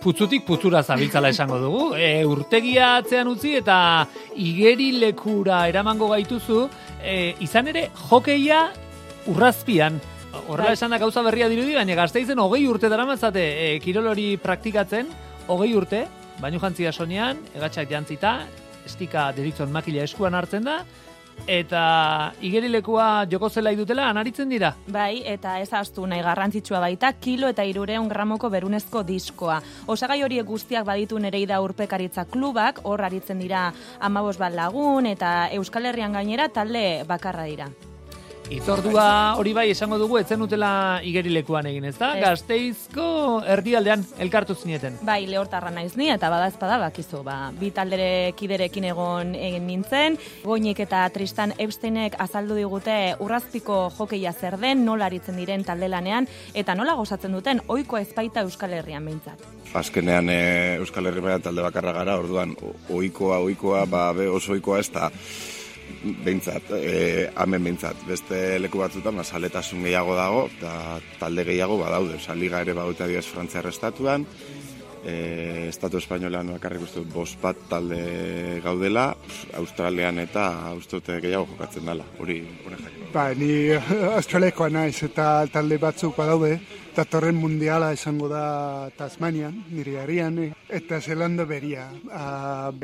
putzutik putzura zabiltzala esango dugu. Urtegia atzean utzi eta igeri lekura eramango gaituzu, izan ere hokeia urrazpian. Horrela esan da gauza berria dirudi, baina Gasteizen 20 urte daramatzate kirol hori praktikatzen, 20 urte, bainu jantzia sonean, egatxak jantzita, estika deritzon makila eskuan hartzen da, eta igerilekua joko zelai dutela anaritzen dira. Bai, eta ez ahaztu nahi garrantzitsua baita, 1,300 gramoko berunezko diskoa. Osagai horiek guztiak baditu Nereida Urpekaritza klubak, hor aritzen dira 15 bat lagun, eta Euskal Herrian gainera talde bakarra dira. Itzordua hori bai esango dugu etzen utela igerilekuan egin, ezta? Gasteizko erdialdean elkartu zineten. Bai, lehortarra naiz ni eta badaezpada bakizu, bi taldere kiderekin egon nintzen. Goinik eta Tristan Epsteinek azaldu digute urrazpiko hokeia zer den, nola aritzen diren taldelanean eta nola gozatzen duten ohikoa ezpaita Euskal Herrian behintzat. Azkenean Euskal Herrian talde bakarra gara, orduan ohikoa, oso ohikoa ez da behintzat, hemen behintzat. Beste leku batzutan, saletasun gehiago dago, eta talde gehiago badaude. Liga ere badute adibidez Frantziar estatuan, Estatu Espainolean bakarrik uste dut 5 bat talde gaudela, Australian eta uste dut gehiago jokatzen dela, hori jakin. Ni Australiakoa naiz eta talde batzuk badaude, datorren mundiala izango da Tasmanian, nire herrian, eta Zelanda beria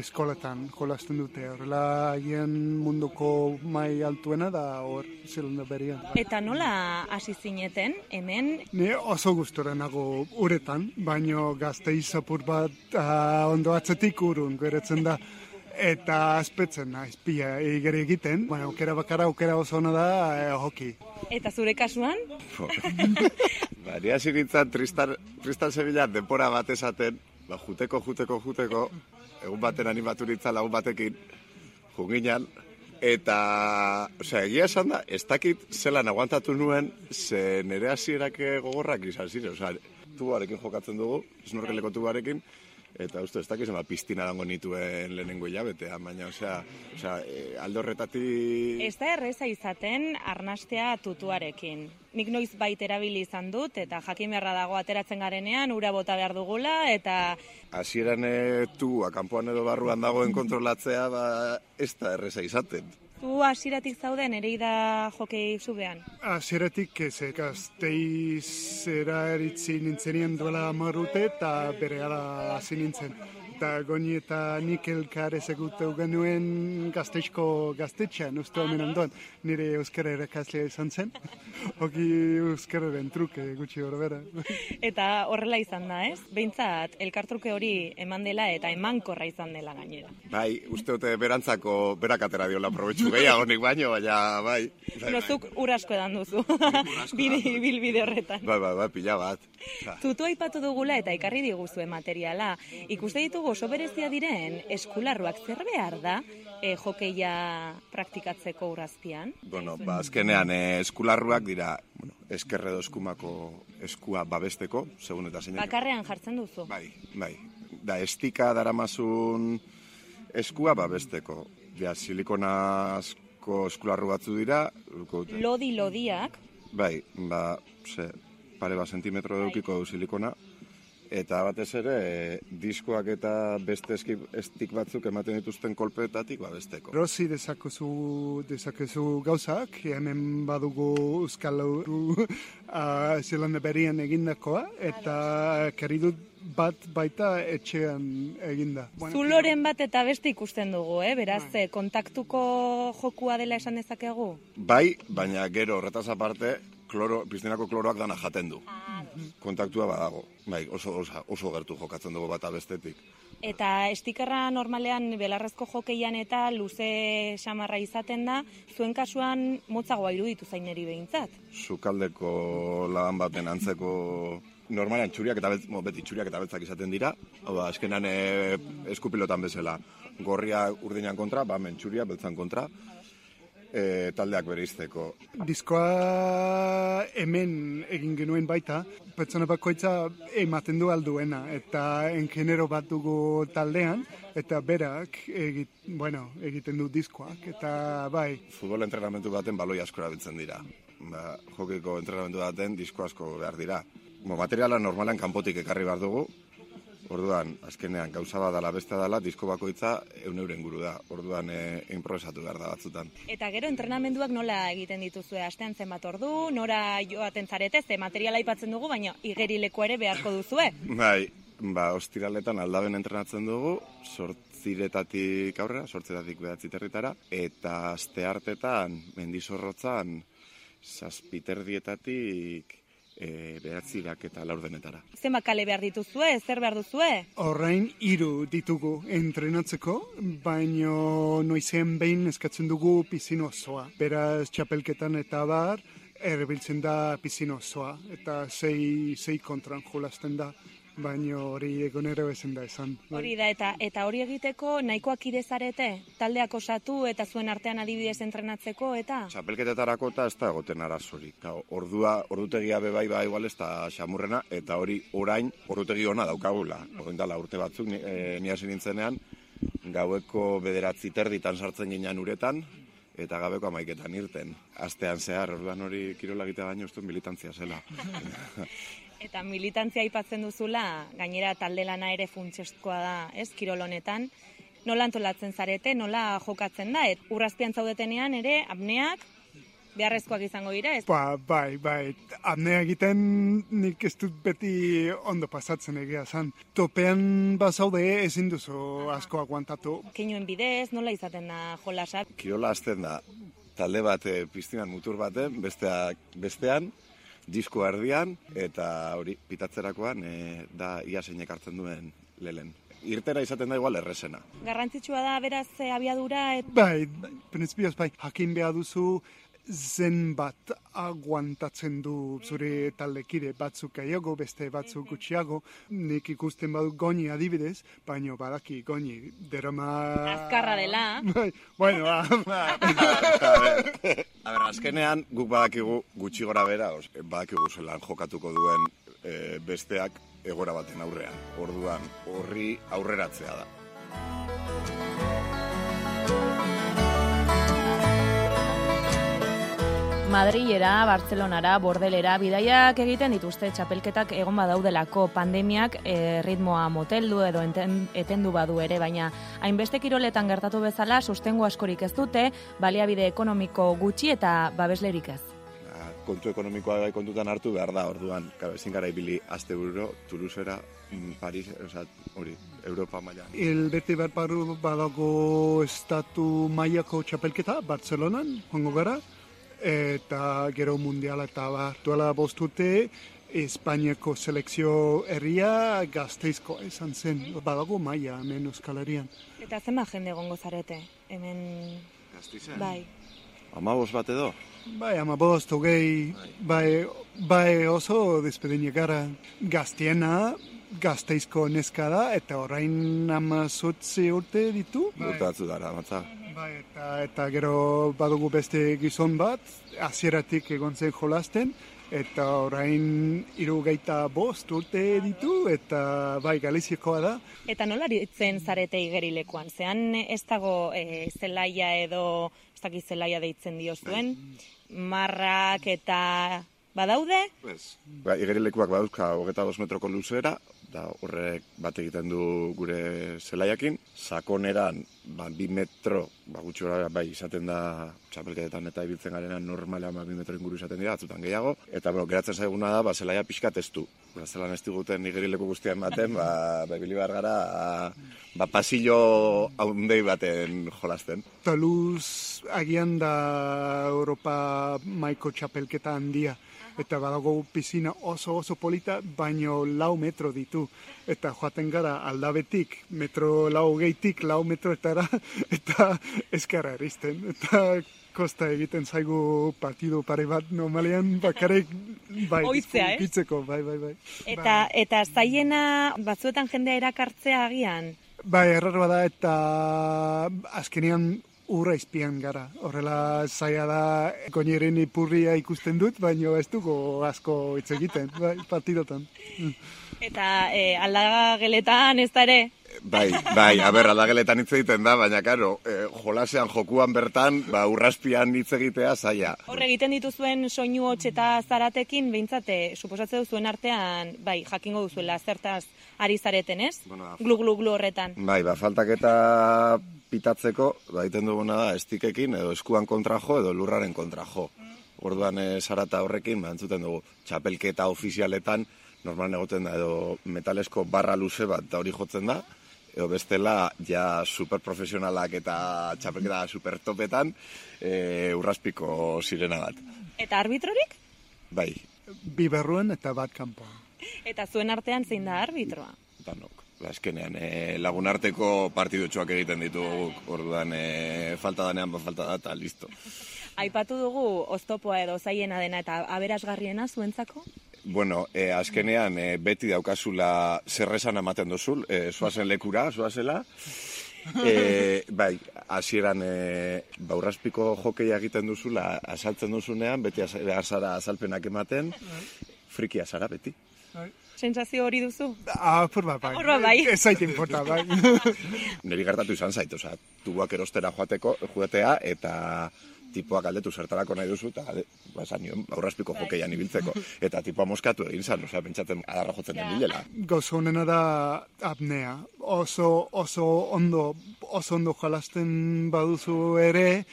eskoletan jolasten dute. Horrela hien munduko mai altuena da hor Zelanda berian. Eta nola hasi zineten hemen? Ni oso gustora nago uretan, baino Gasteiz apur bat ondo atzetik urrun geratzen da. Eta azpetzen naiz pila igeri egiten, aukera bakara, aukera oso ona da hoki. Eta zure kasuan? Ni hasi nintzen Tristan Sevilla denpora bat esaten, juteko, egun baten animatu nintzen lagun batekin, junginan, eta, egia esan da, ez dakit zelan aguantatu nuen, ze nire hasierak gogorrak izan ziren, tubarekin jokatzen dugu, snorkeleko tubarekin, eta uste, ez dakiz, piztina dango nituen lehenengo hilabetean, baina, alde horretatik... Ez da erreza izaten arnastea tutuarekin. Nik noiz bait erabili izan dut, eta jakin beharra dago ateratzen garenean, ura bota behar dugula, eta... Hasieran kanpoan edo barruan dagoen kontrolatzea, ez da erreza izaten. Zu hasieratik zaude Nereida hokei zubean? Hasieratik Gasteizera eritzi nintzenien duela 10 urte eta berehala hasi nintzen. Eta Goni eta nik elkar ezaguteu genuen Gasteizko gaztetxean, uste hemen ondoan, nire euskara erakaslea izan zen. Hoki euskararen truke gutxi gorbera. Eta horrela izan da, ez? Behintzat, elkartruke hori eman dela eta emankorra izan dela gainera. Bai, uste dute berantzako berak atera diola probetxu gehiagonik baino, baina bai. Zuk ur asko edan duzu, bilbide horretan. Bai, pila bat. Tutu aipatu dugula eta ekarri diguzue materiala. Ikuste ditugu oso berezia diren eskularruak zer behar da hokeia praktikatzeko urrazpian? Azkenean eskularruak dira eskerredo eskumako eskua babesteko, segun eta zeinak. Bakarrean jartzen duzu? Bai. Da estika daramazun eskua babesteko. Silikonazko eskularru batzu dira. Lodiak? Bai, pare bat sentimetro edukiko du silikona. Eta batez ere, diskoak eta beste estik batzuk ematen dituzten kolpeetatik babesteko. Rosi dezakezu gauzak, hemen badugu Euskal Zelanda berian egindakoa, eta keridut bat baita etxean eginda. Zuloren bat eta beste ikusten dugu, beraz, kontaktuko jokua dela esan dezakegu? Bai, baina gero horretaz aparte, piztinako kloroak dana jaten du. Kontaktua badago. Bai, oso gertu jokatzen dugu bata bestetik. Eta estikerra normalean belarrezko jokeian eta luze samarra izaten da, zuen kasuan motzagoa iruditu zaineri behintzat? Sukaldeko laban baten antzeko normalean beti txuriak eta beltzak izaten dira. Eskenan eskupilotan bezala. Gorria urdinan kontra, hemen txuria beltzan kontra. Taldeak bereizteko. Diskoa hemen egin genuen baita, pertsona bakoitza ematen du alduena, eta engenero bat dugu taldean, eta berak egiten du diskoak, eta bai. Futbol entrenamentu baten baloi asko erabiltzen dira. Jokeko entrenamentu baten disko asko behar dira. materiala normalan kanpotik ekarri behar dugu. Orduan, azkenean, gauza bat dala, beste dala, disko bakoitza 100 inguru da. Orduan, improvisatu behar da batzutan. Eta gero, entrenamenduak nola egiten dituzue? Astean zenbat ordu, nora joaten zarete, ze materiala aipatzen dugu, baina igerileko ere beharko duzue. Bai, ostiraletan aldaben entrenatzen dugu, 8 aurrera, 8 territara, eta asteartetan, mendizorrotzan, 7:30 9 eta 4 Zenbat kale behar dituzue, zer behar duzue? Orain 3 ditugu entrenatzeko, baino noizean behin eskatzen dugu pizin osoa. Beraz, txapelketan eta bar, erabiltzen da pizin osoa, eta 6 kontran jolasten da. Baino hori egonero ezen da esan. Hori da, eta hori egiteko nahikoak idezarete? Taldeak osatu eta zuen artean adibidez entrenatzeko, eta? Txapelketetarako eta ez da egoten arazorik. Ordutegia bebai igual ez da xamurrena, eta hori orain ordutegi ona daukagula. Orain dala urte batzuk, ni hasi nintzenean, gaueko 9:30 sartzen ginean uretan, eta gabeko 11 irten. Astean zehar, orduan hori kirola egitea baino ez du militantzia zela. Eta militantzia aipatzen duzula, gainera talde lana ere funtsezkoa da, ez, kirol honetan. Nola antolatzen zarete, nola jokatzen da, urrazpian zaudetenean ere, apneak beharrezkoak izango dira, ez? Bai, apnea egiten nik ez dut beti ondo pasatzen egia zan. Topean bazaude ezin duzu asko aguantatu. Keinuen bidez, nola izaten da jolasa? Kirola hasten da, talde bat piztinan mutur baten, bestean, disko erdian, eta hori pitatzerakoan da ia zeinek hartzen duen lehen. Irtera izaten da igual errezena. Garrantzitsua da beraz abiadura? Bai, printzipioz bai, jakin behar duzu zenbat aguantatzen du zure taldekide, batzuk gehiago, beste batzuk gutxiago. Nik ikusten badut Goni adibidez, baino badaki Goni derama... Azkarra dela. Bueno, A ber, azkenean guk badakigu gutxi gora bera, badakigu zelan jokatuko duen besteak egora baten aurrean. Orduan, horri aurreratzea da. Madrilera, Bartzelonara, Bordelera, bidaiak egiten dituzte txapelketak egon badaudelako pandemiak ritmoa moteldu edo etendu badu ere, baina hainbeste kiroletan gertatu bezala sustengo askorik ez dute, baliabide ekonomiko gutxi eta babeslerik ez. Kontu ekonomikoa bai kontutan hartu behar da, orduan, ezin gara ibili Asteburu, Toulousera, Paris, hori, Europa maila. Bete bat badago estatu mailako txapelketa, Bartzelonan, joango gara, eta gero mundiala eta duela 5 urte, Espainiako selekzio herria Gasteizko izan zen, badago maila hemen Euskal Herrian. Eta zenbat jende egongo zarete, hemen... Gasteizen? Bai. 15 bat edo? Bai, 15, 20, bai oso despedinak gara. Gaztiena, Gasteizko neska da, eta orain 18 urte ditu. Urte batzu dara, matza. Bai, eta gero badugu beste gizon bat, hasieratik egon zen jolasten, eta orain 75 urte ditu, eta bai, Galiziakoa da. Eta nola aritzen zarete igerilekuan? Zean ez dago zelaia edo, ez dakit zelaia deitzen diozuen, marrak eta badaude? Igerilekuak badauzka 22 metroko luzera, da horrek bat egiten du gure zelaiakin. Sakoneran, 2 metro, gutxi gora bai izaten da txapelketetan eta ibiltzen garenan normalean 2 metro inguru izaten dira, atzutan gehiago. Eta geratzen zaiguna da, zelaia pixka testu. Zelan ez diguten igerileku guztian baten, ibili behar gara, pasillo haundei baten jolasten. Toulouse agian da Europa maiko txapelketa handia. Eta badago pisina oso polita, baino 4 metro ditu. Eta joaten gara aldabetik, 4 metroetara, eta ezkarra erizten. Eta kosta egiten zaigu partidu pare bat normalean bakarrik ditzeko, bai. Eta zaiena batzuetan jendea erakartzea agian? Bai, errarba da, eta azkenean urra izpian gara. Horrela zaila da, Goniren ipurria ikusten dut, baina ez dugu asko hitz egiten, bai, partidotan. Eta aldageletan ez da ere? Bai, aldageletan hitz egiten da, baina karo, jolasean jokuan bertan, urraspian hitz egitea zaila. Hor egiten dituzuen soinu hots eta zaratekin, behintzate, suposatze duzuen artean, bai, jakingo duzuela, zertaz ari zareten, ez? Bueno, Glu horretan. Bai, faltak eta pitatzeko, egiten duguna da, estikekin, edo eskuan kontra jo, edo lurraren kontra jo. Orduan zarata horrekin, entzuten dugu, txapelketa ofizialetan, normalan egoten da, edo metalesko barra luze bat, da hori jotzen da, edo bestela, ja superprofesionalak eta txapelketa supertopetan, urraspiko sirena bat. Eta arbitrorik? Bai. Bi barruan eta bat kanpoan. Eta zuen artean zein da arbitroa? Danok. Azkenean, lagunarteko partidutxoak egiten ditugu, orduan falta danean, falta da, eta listo. Aipatu dugu oztopoa edo zaiena dena eta aberasgarriena zuentzako? Bueno, azkenean beti daukazula zerresan ematen duzul, zoazen lekura, zoazela. Bai, hasieran urraspiko jokeia egiten duzula, asaltzen duzunean, beti azara azalpenak ematen, frikia zara beti. Sentsazio hori duzu? Apurba bai. Ez zait importa, bai. Neri gertatu izan zait, oza, tubuak erostera joatea, eta tipoak galdetu zertarako nahi duzu, eta esan nion, urraspiko jokeian ibiltzeko. Eta tipoa moskatu egin zan, oza, pentsatzen adarra jotzen den bilela. Gauza honena da apnea. Oso ondo jolasten baduzu ere,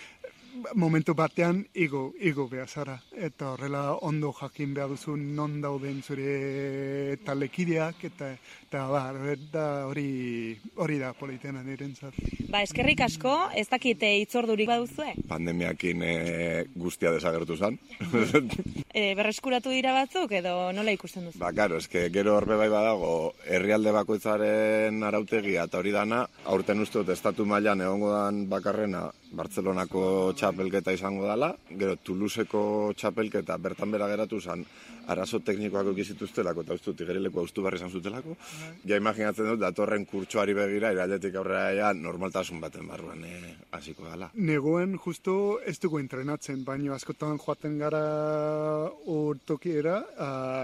momentu batean igo behar zara. Eta horrela ondo jakin behar duzu non dauden zure talekideak, eta hori da politena nirentzat. Eskerrik asko, ez dakite hitzordurik baduzue? Pandemiakin guztia desagertu zen. Berreskuratu dira batzuk edo nola ikusten duzu? Karo, gero horbe bai badago, herrialde bakoitzaren arautegia eta hori dana, aurten uste dut estatu mailan egongo dan bakarrena Bartzelonako txapelketa izango dela, gero Toulouseko txapelketa bertan bera geratu zen, arazo teknikoak egizituztelako eta uste dut igerileko haustu barri izan zutelako. Ja imaginatzen dut, datorren kurtsoari begira, irailetik aurrera normaltasun baten barruan hasiko dela. Negoen justu ez dugu entrenatzen, baina askotan joaten gara urtokiera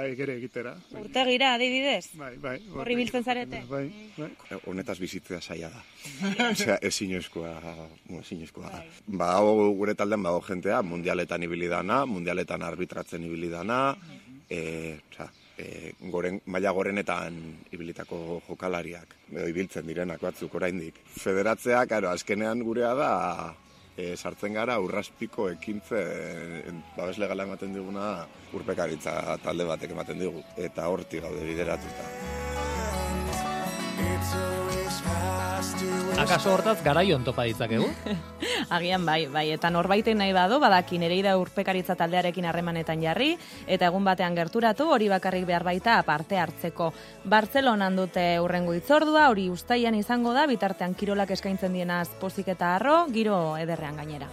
egere egitera. Urtegira, adibidez? Bai. Horri biltzen zarete? Bai. Honetaz bizitzea zaila da. Osea, ezinezkoa da. Badago gure taldean badago jentea, mundialetan ibili dana, mundialetan arbitratzen ibili dana, maila gorenetan ibilitako jokalariak, edo ibiltzen direnak batzuk oraindik. Federatzea, azkenean gurea da, sartzen gara urraspiko ekintzen babes legala ematen diguna urpekaritza talde batek ematen digu, eta hortik gaude bideratuta. Akaso hortaz garaion topa ditzakegu? Agian bai, eta norbaiten nahi badu, badaki Nereida urpekaritza taldearekin harremanetan jarri, eta egun batean gerturatu, hori bakarrik behar baita parte hartzeko. Bartzelonan dute hurrengo hitzordua, hori uztailan izango da, bitartean kirolak eskaintzen dienaz pozik eta harro, giro ederrean gainera.